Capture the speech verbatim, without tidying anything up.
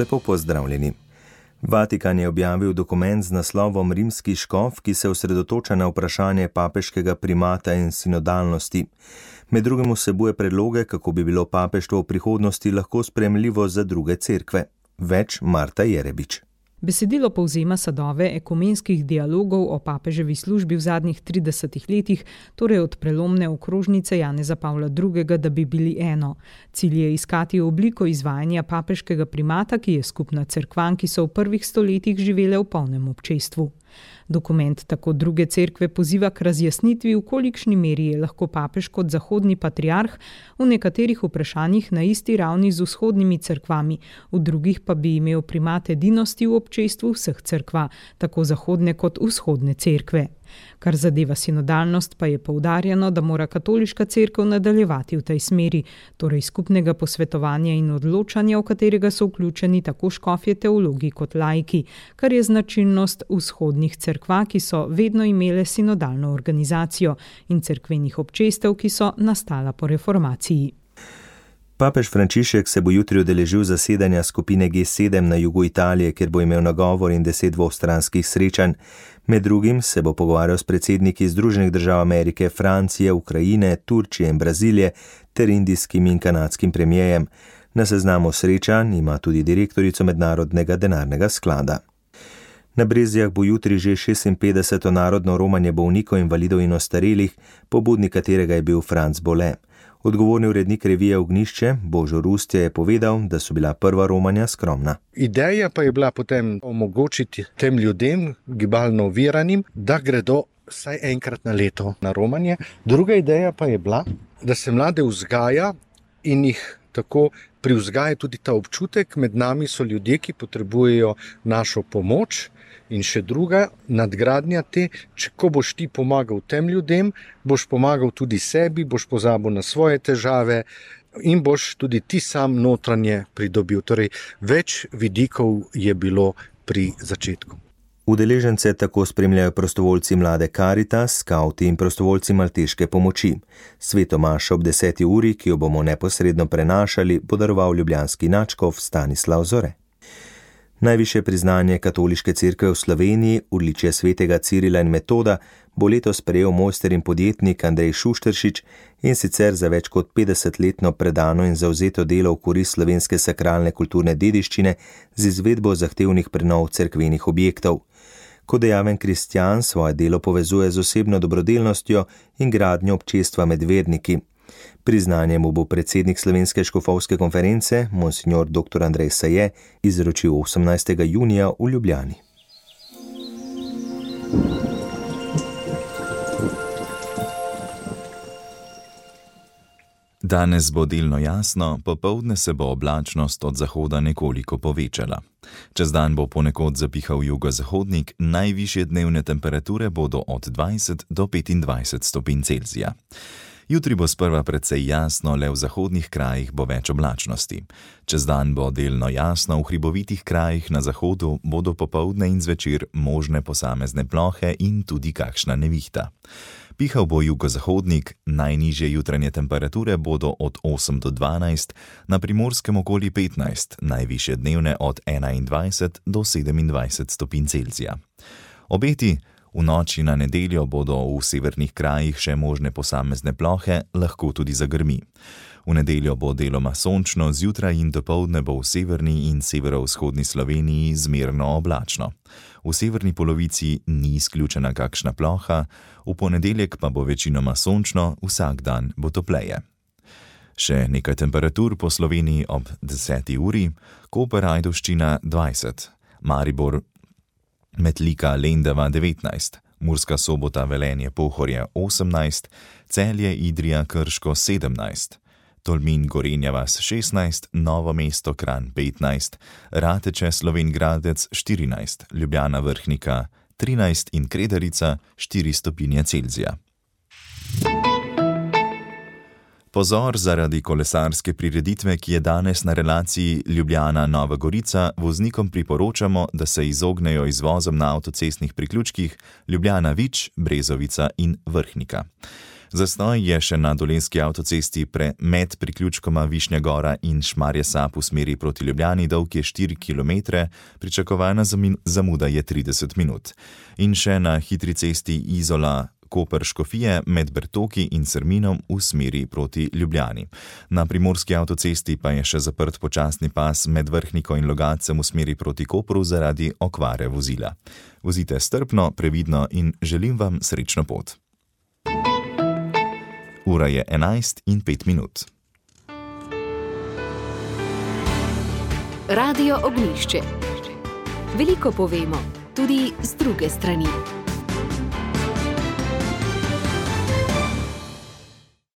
Lepo pozdravljeni. Vatikan je objavil dokument z naslovom Rimski škof, ki se osredotoča na vprašanje papeškega primata in sinodalnosti. Med drugim vsebuje predloge, kako bi bilo papeštvo v prihodnosti lahko sprejemljivo za druge cerkve. Več Marta Jerebič. Besedilo povzema sadove ekumenskih dialogov o papeževi službi v zadnjih tridesetih letih, torej od prelomne okrožnice Janeza Pavla drugega, da bi bili eno. Cilj je iskati obliko izvajanja papeškega primata, ki je skupna cerkvam, ki so v prvih stoletjih živele v polnem občestvu. Dokument tako druge cerkve poziva k razjasnitvi, v kolikšni meri je lahko papež kot zahodni patriarh v nekaterih vprašanjih na isti ravni z vzhodnimi cerkvami, v drugih pa bi imel primat edinosti v občestvu vseh cerkva, tako zahodne kot vzhodne cerkve. Kar zadeva sinodalnost, pa je poudarjeno, da mora katoliška cerkev nadaljevati v tej smeri, torej skupnega posvetovanja in odločanja, v katerega so vključeni tako škofje teologi kot laiki, kar je značilnost vzhodnih cerkva, ki so vedno imele sinodalno organizacijo, in cerkvenih občestev, ki so nastala po reformaciji. Papež Frančišek se bo jutri udeležil zasedanja skupine G sedem na jugu Italije, kjer bo imel nagovor in deset dvostranskih srečanj. Med drugim se bo pogovarjal s predsedniki Združenih držav Amerike, Francije, Ukrajine, Turčije in Brazilije ter indijskim in kanadskim premijejem. Na seznamu srečanj ima tudi direktorico Mednarodnega denarnega sklada. Na Brezjah bo jutri že šestinpetdeseto narodno romanje bolnikov, invalidov in ostarelih, pobudnik katerega je bil Franc Bole. Odgovorni urednik revije Ognjišče, Božo Rustje, je povedal, da so bila prva romanja skromna. Ideja pa je bila potem omogočiti tem ljudem, gibalno oviranim, da gredo vsaj enkrat na leto na romanje. Druga ideja pa je bila, da se mlade vzgaja in jih tako privzgaja tudi ta občutek, med nami so ljudje, ki potrebujejo našo pomoč. In še druga nadgradnja te, če ko boš ti pomagal tem ljudem, boš pomagal tudi sebi, boš pozabil na svoje težave in boš tudi ti sam notranje pridobil. Torej, več vidikov je bilo pri začetku. Udeležence tako spremljajo prostovoljci mlade Karitas, skavti in prostovoljci malteške pomoči. Sveto mašo ob deseti uri, ki jo bomo neposredno prenašali, bo daroval ljubljanski nadškof Stanislav Zore. Najvišje priznanje katoliške cerkve v Sloveniji, odličje svetega Cirila in Metoda, bo letos prejel mojster in podjetnik Andrej Šušteršič, in sicer za več kot petdesetletno predano in zavzeto delo v korist slovenske sakralne kulturne dediščine z izvedbo zahtevnih prenov cerkvenih objektov. Kot dejaven kristjan svoje delo povezuje z osebno dobrodelnostjo in gradnjo občestva med verniki. Priznanje mu bo predsednik Slovenske škofovske konference, monsignor doktor Andrej Saje, izročil osemnajstega junija v Ljubljani. Danes bo delno jasno, popoldne se bo oblačnost od zahoda nekoliko povečala. Čez dan bo ponekod zapihal jugozahodnik, najvišje dnevne temperature bodo od dvajset do petindvajset stopinj Celzija. Jutri bo sprva precej jasno, le v zahodnih krajih bo več oblačnosti. Čez dan bo delno jasno, v hribovitih krajih na zahodu bodo popoldne in zvečer možne posamezne plohe in tudi kakšna nevihta. Pihal bo jugozahodnik, najnižje jutranje temperature bodo od osem do dvanajst, na Primorskem okoli petnajst, najvišje dnevne od enaindvajset do sedemindvajset stopinj Celzija. Obeti: v noči na nedeljo bodo v severnih krajih še možne posamezne plohe, lahko tudi zagrmi. V nedeljo bo deloma sončno, zjutraj in dopoldne bo v severni in severovzhodni Sloveniji zmerno oblačno. V severni polovici ni izključena kakšna ploha, v ponedeljek pa bo večinoma sončno, vsak dan bo topleje. Še nekaj temperatur po Sloveniji ob deseti uri: Koper, Ajdovščina dvajset, Maribor, Metlika, Lendava devetnajst, Murska Sobota, Velenje, Pohorje osemnajst, Celje, Idrija, Krško sedemnajst, Tolmin, Gorenja vas šestnajst, Novo mesto, Kranj petnajst, Rateče, Slovenj Gradec štirinajst, Ljubljana, Vrhnika trinajst in Kredarica štiri stopinje Celzija. Pozor zaradi kolesarske prireditve, ki je danes na relaciji Ljubljana-Nova Gorica, voznikom priporočamo, da se izognejo izvozom na avtocestnih priključkih Ljubljana-Vič, Brezovica in Vrhnika. Zastoj je še na dolenjski avtocesti pre med priključkoma Višnja Gora in Šmarje Sap v smeri proti Ljubljani, dolg je štiri kilometre, pričakovana zamuda je trideset minut. In še na hitri cesti Izola Koper-Škofije med Bertoki in Srminom v smeri proti Ljubljani. Na primorski avtocesti pa je še zaprt počasni pas med Vrhniko in Logatcem v smeri proti Kopru zaradi okvare vozila. Vozite strpno, previdno in želim vam srečno pot. Ura je enajst in pet minut. Radio Ognjišče. Veliko povemo, tudi z druge strani.